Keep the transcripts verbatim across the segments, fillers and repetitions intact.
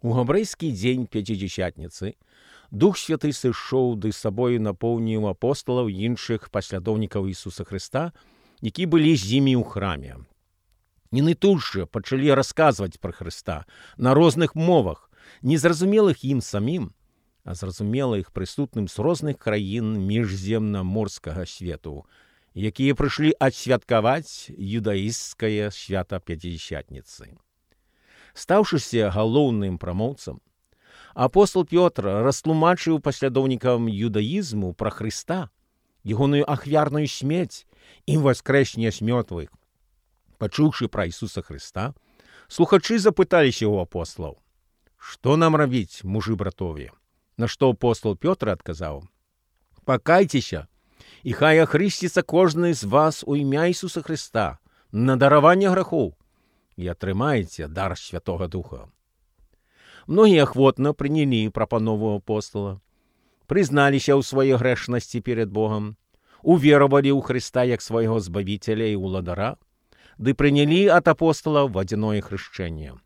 У габрэйскі дзень Пяцідзясятніцы Дух Святый сышоў ды сабою напоўніў апосталаў і іншых паслядоўнікаў Ісуса Хрыста, які былі з імі ў храме. Яны тут жа пачалі расказваць пра Хрыста на розных мовах, незразумелых ім самім, а зразумелых прысутным з розных краін міжземнаморскага свету, якія прыйшлі адсвяткаваць юдаісцкае свята Пяцідзясятніцы. Стаўшыся галоўным прамоўцам, апостол Пётр растлумачыў паслядоўнікам юдаізму пра Хрыста, ягоную ахвярную смерць і воскрэсенне з мёртвых. Пачуўшы пра Ісуса Хрыста, слухачы запыталіся ў апосталаў: «Што нам рабіць, мужы братові?» На што апостол Пётр адказаў: «Пакайцеся, і хай ахрысціцца кожны з вас у імя Ісуса Хрыста на дараванне грахоў, і атрымаеце дар Святога Духа». Многія ахвотна прынялі прапанову апостала, прызналіся ў сваёй грэшнасці перад Богам, уверавалі ў Хрыста як свайго збавіцеля і ўладара, ды прынялі ад апостала вадзяное хрышчэнне.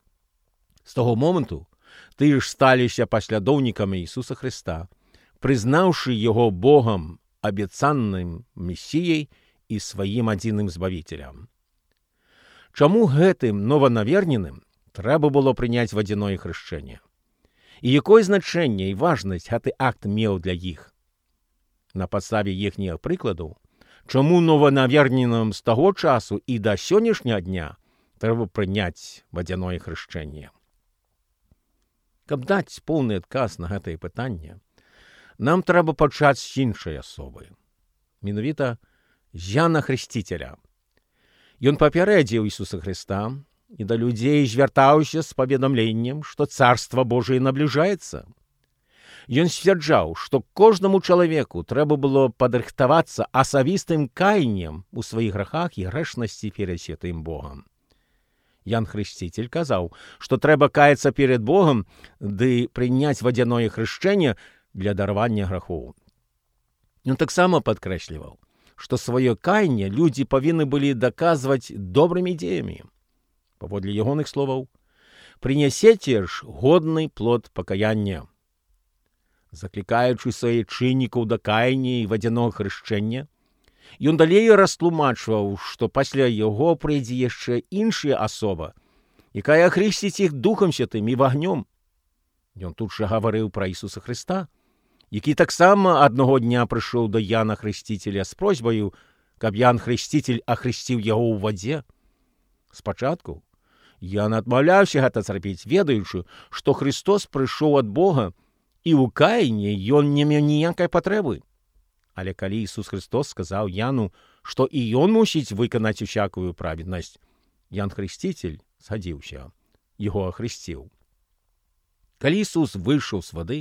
З таго моманту тыя ж сталіся паслядоўнікамі Ісуса Хрыста, прызнаўшы яго Богам, абяцаным Месіяй і сваім адзіным збавіцелем. Чаму гэтым нованаверненым трэба было прыняць вадзяное хрышчэнне? І якое значэнне і важнасць гэты акт меў для іх? На падставе іхніх прыкладаў, чаму нованаверненым з таго часу і да сённяшняга дня трэба прыняць вадзяное хрышчэнне? Каб даць поўны адказ на гэтае пытанне, нам трэба пачаць з іншай асобы, менавіта з Яна Хрысціцеля. Ён папярэдзіў Ісуса Хрыста і да людзей звяртаўся з паведамленнем, што Царства Божие набліжаецца. Ён сцвярджаў, што кожнаму чалавеку трэба было падрыхтавацца асабістым каяннем у сваіх грахах і грэшнасці перад святым Богам. Ян Хрысціцель казаў, што трэба каяцца перад Богам ды прыняць вадзяное хрышчэнне для даравання грахоў. Ён таксама падкрэсліваў, што сваё каянне людзі павінны былі даказваць добрымі дзеямі. Паводле ягоных словаў: «Прынясеце ж годны плод пакаяння». Заклікаючы сваіх чыннікаў да каяння і вадзянога хрышчэння, ён далей растлумачваў, што пасля яго прыйдзе яшчэ іншая асоба, якая ахрысціць іх Духам Святым і вагнём. Ён тут жа гаварыў пра Ісуса Хрыста, які таксама аднаго дня прыйшоў да Яна Хрысціцеля з просьбаю, каб Ян Хрысціцель ахрысціў яго ў вадзе. Спачатку Ян адмаўляўся гэта зрабіць, ведаючы, што Хрыстос прыйшоў ад Бога, і ў каянні ён не меў ніякай патрэбы. Але калі Ісус Хрыстос сказаў Яну, што і ён мусіць выканаць усякую праведнасць, Ян Хрысціцель згадзіўся, яго ахрысціў. Калі Ісус выйшаў з вады,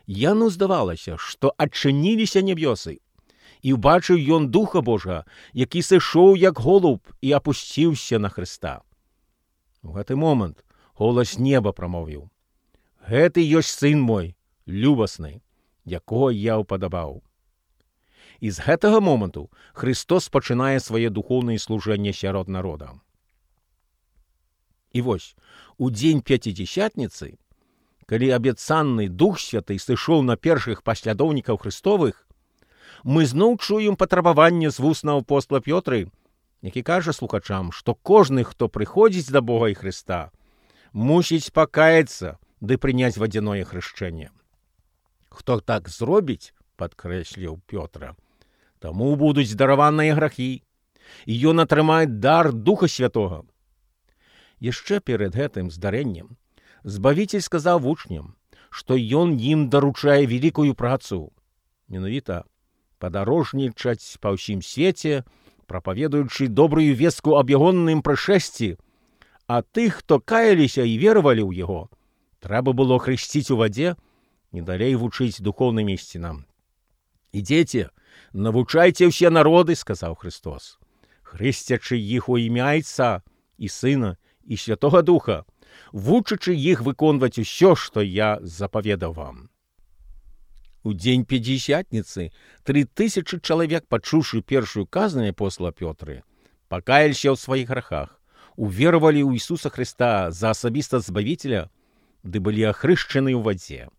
Яну здавалася, што адчыніліся нябёсы, і ўбачыў ён Духа Божага, які сышоў як голуб і апусціўся на Хрыста. У гэты момант голас неба прамовіў: «Гэты ёсць сын мой, любасны, якога я ўпадабаў». І з гэтага моманту Хрыстос пачынае свае духоўнае служэнне сярод народа. І вось, у дзень Пяцідзясятніцы, калі абяцаны Дух Святы сышоў на першых паслядоўнікаў Хрыстовых, мы зноў чуем патрабаванне з вуснаў апостола Пётры, які кажа слухачам, што кожны, хто прыходзіць да Бога і Хрыста, мусіць пакаяцца ды прыняць вадзяное хрышчэнне. Хто так зробіць, падкрэсліў Пётра, таму будуць дараваныя грахі, і ён атрымае дар Духа Святога. Яшчэ перад гэтым здарэннем Збавіцель сказаў вучням, што ён ім даручае вялікую працу, менавіта падарожнічаць па ўсім свеце, прапаведуючы добрую вестку аб ягоным прышэсці, а тых, хто каяліся і веравалі ў яго, трэба было хрысціць у вадзе і далей вучыць духоўным ісцінам. «Ідзеце, навучайце ўсе народы», — сказаў Хрыстос, «хрысцячы іх у імя Айца і Сына і Святога Духа, вучачы іх выконваць усё, што я запаведаў вам». У дзень Пяцідзясятніцы тры тысячы чалавек, пачуўшы першую казнь апостола Пётры, пакаяліся ў сваіх грахах, уверавалі ў Ісуса Хрыста за асабіста збавіцеля ды былі ахрышчаны ў вадзе.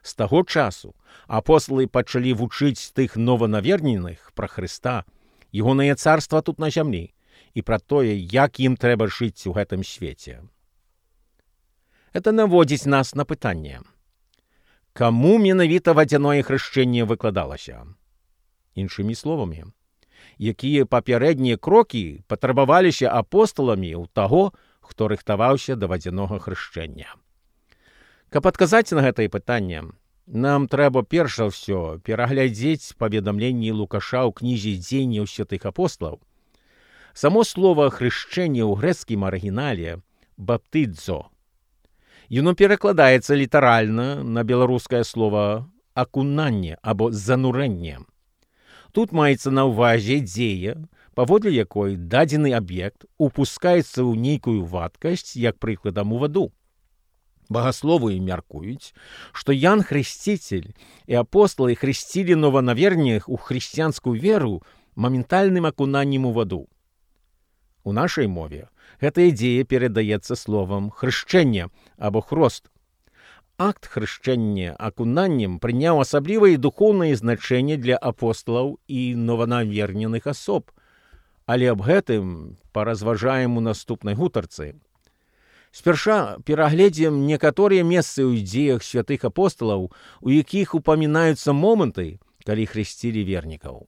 З таго часу апосталы пачалі вучыць тых нованаверненых пра Хрыста, ягонае царства тут на зямлі, і пра тое, як ім трэба жыць у гэтым свеце. Гэта наводзіць нас на пытанне. Каму менавіта вадзяное хрышчэнне выкладалася? Іншымі словамі, якія папярэднія крокі патрабаваліся апосталамі ў таго, хто рыхтаваўся да вадзянога хрышчэння. Каб адказаць на гэтае пытанне, нам трэба перш за ўсё пераглядзець паведамленні Лукаша ў кнізе «Дзеянняў святых апосталаў». Само слова «хрышчэнне» ў грэцкім арыгінале «баптыдзо». Яно перакладаецца літаральна на беларускае слова «акунанне» або «занурэнне». Тут маецца на ўвазе дзея, паводле якой дадзены аб'ект упускаецца ў нейкую вадкасць, як прыкладам у ваду. Багасловы мяркуюць, што Ян Хрысціцель і апосталы хрысцілі нованаверненых у хрысціянскую веру моментальным акунаннем у ваду. У нашай мове гэтая дзея перадаецца словам «хрышчэнне» або «хрост». Акт хрышчэння акунаннем прыняў асаблівае духоўнае значэнне для апосталаў і нованаверненых асоб, але аб гэтым паразважаем у наступнай гутарцы. Спярша перагледзім некаторыя месцы ў дзеях святых апосталаў, у якіх упамінаюцца моманты, калі хрысцілі вернікаў.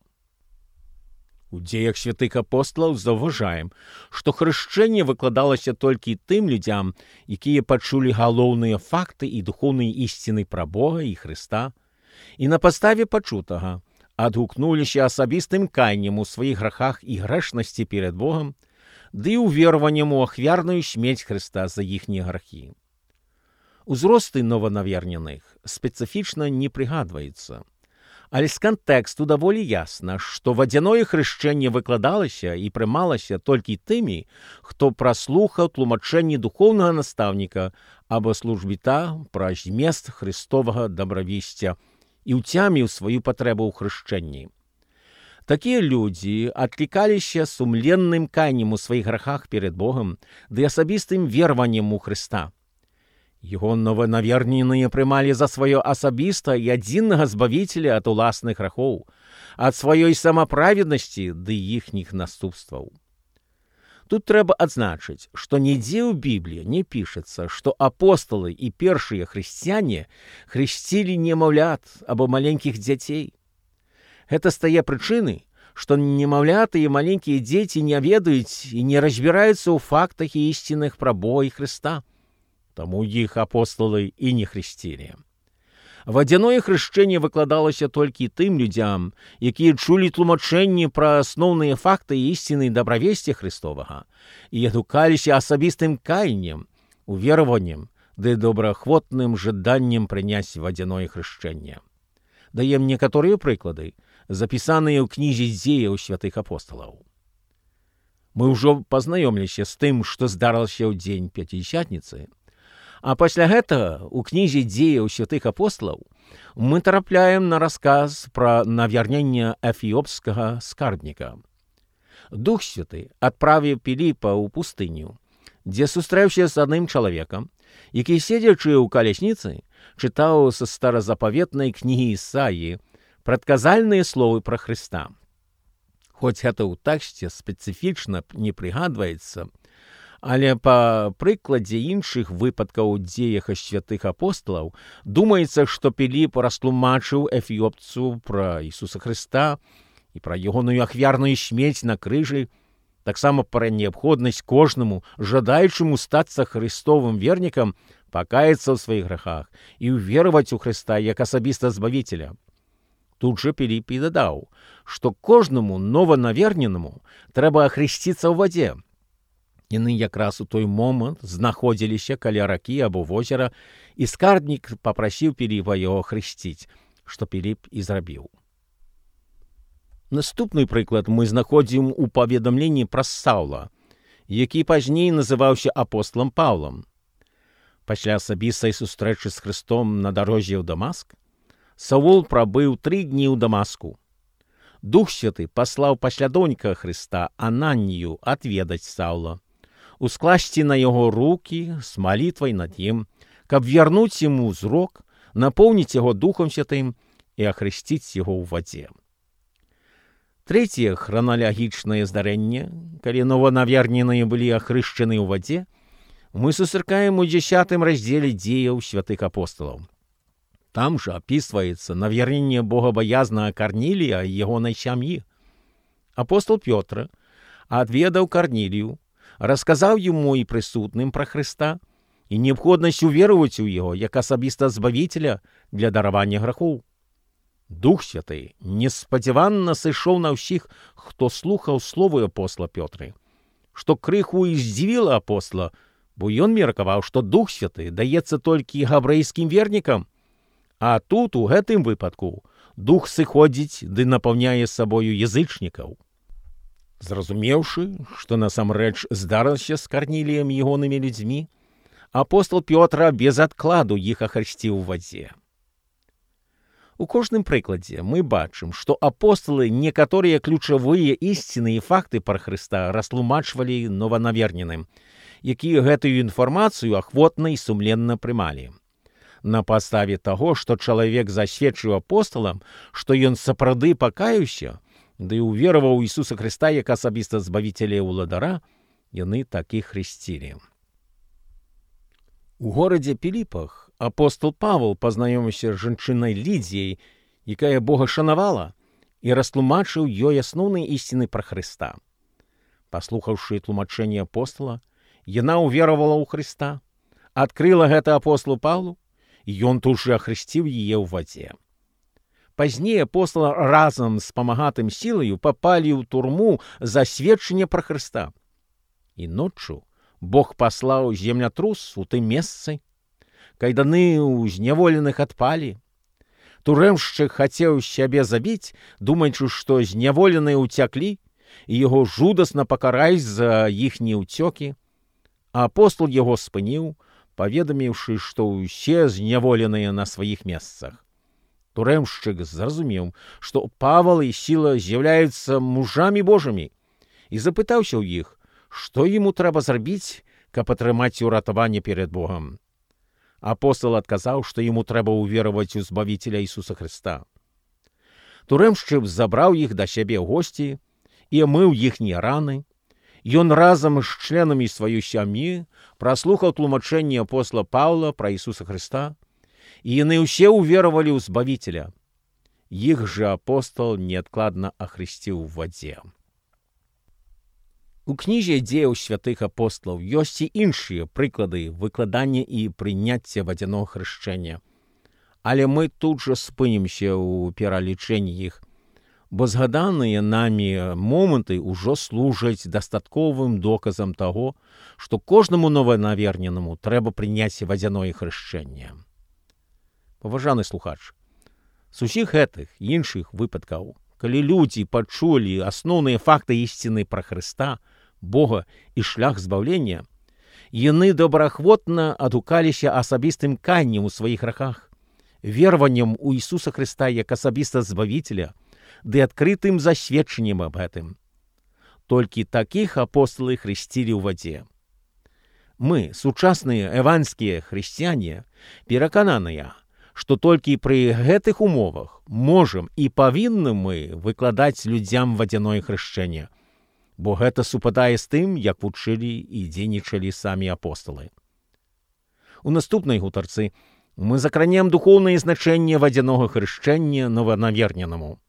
У дзеях святых апосталаў заўважаем, што хрышчэнне выкладалася толькі тым людзям, якія пачулі галоўныя факты і духоўныя ісціны пра Бога і Хрыста, і на падставе пачутага адгукнуліся асабістым каяннем у сваіх грахах і грэшнасці перад Богам, ды і увераваннем у ахвярную смерць Хрыста за іхнія грахі. Узросты нованаверненых спецыфічна не прыгадваецца, але з кантэксту даволі ясна, што вадзяное хрышчэнне выкладалася і прымалася толькі тымі, хто праслухаў тлумачэнні духоўнага настаўніка або службіта пра змест хрыстовага дабравесця і ўцяміў сваю патрэбу ў хрышчэнні. Такія людзі адклікаліся сумленным каяннем у сваіх грахах перад Богам ды асабістым вераваннем у Хрыста. Яго нованаверненыя прымалі за сваё асабіста і адзіннага збавіцеля ад уласных грахоў, ад сваёй самаправеднасці ды іхніх наступстваў. Тут трэба адзначыць, што нідзе ў Бібліі не пішацца, што апосталы і першыя хрысціяне хрысцілі немаўлят або маленькіх дзяцей. Гэта з тае прычыны, што немаўляты і маленькія дзеці не ведаюць і не разбіраюцца ў фактах і ісцінах пра Бога і Хрыста. Таму іх апосталы і не хрысцілі. Вадзяное хрышчэнне выкладалася толькі тым людзям, якія чулі тлумачэнні пра асноўныя факты і ісціны дабравесця Хрыстовага і адгукаліся асабістым каяннем, увераваннем ды добраахвотным жаданнем прыняць вадзяное хрышчэнне. Даем некаторыя прыклады, запісаныя ў кнізе «Дзеяў святых апосталаў». Мы ўжо пазнаёміліся з тым, што здарылася ў дзень Пяцідзясятніцы, а пасля гэтага ў кнізе «Дзеяў святых апосталаў» мы трапляем на расказ пра навярненне эфіопскага скарбніка. Дух Святы адправіў Піліпа ў пустыню, дзе сустрэўся з адным чалавекам, які, седзячы ў калясніцы, чытаў са старазапаветнай кнігі Ісаіі прадказальныя словы пра Хрыста. Хоць гэта ў тэксце спецыфічна не прыгадваецца, але па прыкладзе іншых выпадкаў у дзеях святых апосталаў думаецца, што Піліп растлумачыў эфіопцу пра Ісуса Хрыста і пра ягоную ахвярную смерць на крыжы, таксама пра неабходнасць кожнаму, жадаючаму стацца хрыстовым вернікам, пакаяцца ў сваіх грахах і ўвераваць у Хрыста як асабіста збавіцеля. Тут жа Піліп і дадаў, што кожнаму нованаверненаму трэба ахрысціцца ў вадзе. Яны якраз у той момант знаходзіліся каля ракі або возера, і скарбнік папрасіў Піліпа яго хрысціць, што Піліп і зрабіў. Наступны прыклад мы знаходзім у паведамленні пра Саўла, які пазней называўся апосталам Паўлам. Пасля асабістай сустрэчы з Хрыстом на дарозе ў Дамаск, Саул прабыў тры дні ў Дамаску. Дух Святы паслаў паслядоўніка Хрыста Ананію адведаць Саўла, ускласці на яго рукі з малітвай над ім, каб вярнуць яму зрок, напоўніць яго Духом Святым і ахрысціць яго ў вадзе. Трэцяе храналагічнае здарэнне, калі нованаверненыя былі ахрышчаны ў вадзе, мы сустракаем у дзесятым раздзеле дзеяў святых апосталаў. Там жа апісваецца навярненне богабаязнага Карнілія і ягонай сям'і. Апостол Пётр адведаў Карнілію, расказаў яму і прысутным пра Хрыста і неабходнасць увераваць у яго як асабіста збавіцеля для даравання грахоў. Дух Святы неспадзяванна сышоў на ўсіх, хто слухаў словы апостола Пётры, што крыху і здзівіла апостола, бо ён меркаваў, што Дух Святы даецца толькі габрэйскім вернікам, а тут, у гэтым выпадку, Дух сыходзіць ды напаўняе сабою язычнікаў. Зразумеўшы, што насамрэч здарылася з Карніліем і ягонымі людзьмі, апостол Пётр без адкладу іх ахрысціў у вадзе. У кожным прыкладзе мы бачым, што апосталы некаторыя ключавыя ісціны і факты пра Хрыста растлумачвалі нованаверненым, якія гэтую інфармацыю ахвотна і сумленна прымалі. На падставе таго, што чалавек засведчыў апосталам, што ён сапраўды пакаяўся, ды ўвераваў у Ісуса Хрыста як асабіста збавіцеля і ўладара, яны так і хрысцілі. У горадзе Піліпах апостол Павел пазнаёміўся з жанчынай Лідзіяй, якая Бога шанавала, і растлумачыў ёй асноўныя ісціны пра Хрыста. Паслухаўшы тлумачэнне апостала, яна ўверавала ў Хрыста, адкрыла гэта апостолу Павлу, і ён тут жа ахрысціў яе ў вадзе. Пазней апостол разам з памагатым сілаю папалі ў турму за сведчанне пра Хрыста. І ноччу Бог паслаў землятрус у тым месцы, кайданы ў зняволеных адпалі. Турэмшчык хацеў сябе забіць, думаючы, што зняволеныя ўцяклі, і яго жудасна пакараюць за іхнія ўцёкі. А апостол яго спыніў, паведаміўшы, што ўсе зняволеныя на сваіх месцах. Турэмшчык зразумеў, што Павел і Сіла з'яўляюцца мужамі Божымі, і запытаўся ў іх, што яму трэба зрабіць, каб атрымаць уратаванне перад Богам. Апостол адказаў, што яму трэба ўвераваць у збавіцеля Ісуса Хрыста. Турэмшчык забраў іх да сябе ў госці і омыў іхнія раны. Ён разам з членамі сваёй сям'і праслухаў тлумачэнне апостола Паўла пра Ісуса Хрыста, і яны ўсе ўверавалі ў збавіцеля. Іх жа апостол неадкладна ахрысціў у вадзе. У кнізе дзеяў святых апосталаў ёсць і іншыя прыклады выкладання і прыняцця вадзянога хрышчэння. Але мы тут жа спынімся ў пералічэнні іх, бо згаданыя намі моманты ўжо служаць дастатковым доказам таго, што кожнаму нованаверненаму трэба прыняць вадзяное хрышчэнне. Паважаны слухач, з усіх гэтых іншых выпадкаў, калі людзі пачулі асноўныя факты ісціны пра Хрыста, Бога і шлях збаўлення, яны добраахвотна адгукаліся асабістым каяннем у сваіх грахах, вераваннем у Ісуса Хрыста як асабіста збавіцеля, ды адкрытым засведчаннем аб гэтым. Толькі такіх апосталы хрысцілі ў вадзе. Мы, сучасныя эванскія хрысціяне, перакананыя, што толькі пры гэтых умовах можам і павінны мы выкладаць людзям вадзяное хрышчэнне, бо гэта супадае з тым, як вучылі і дзейнічалі самі апосталы. У наступнай гутарцы мы закранем духоўнае значэнне вадзянога хрышчэння нованаверненаму.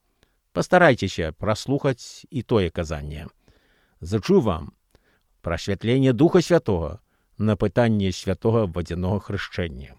Пастарайцеся праслухаць і тое казанне. Зачу вам прасвятленне Духа Святога на пытанне святога вадзянога хрышчэння.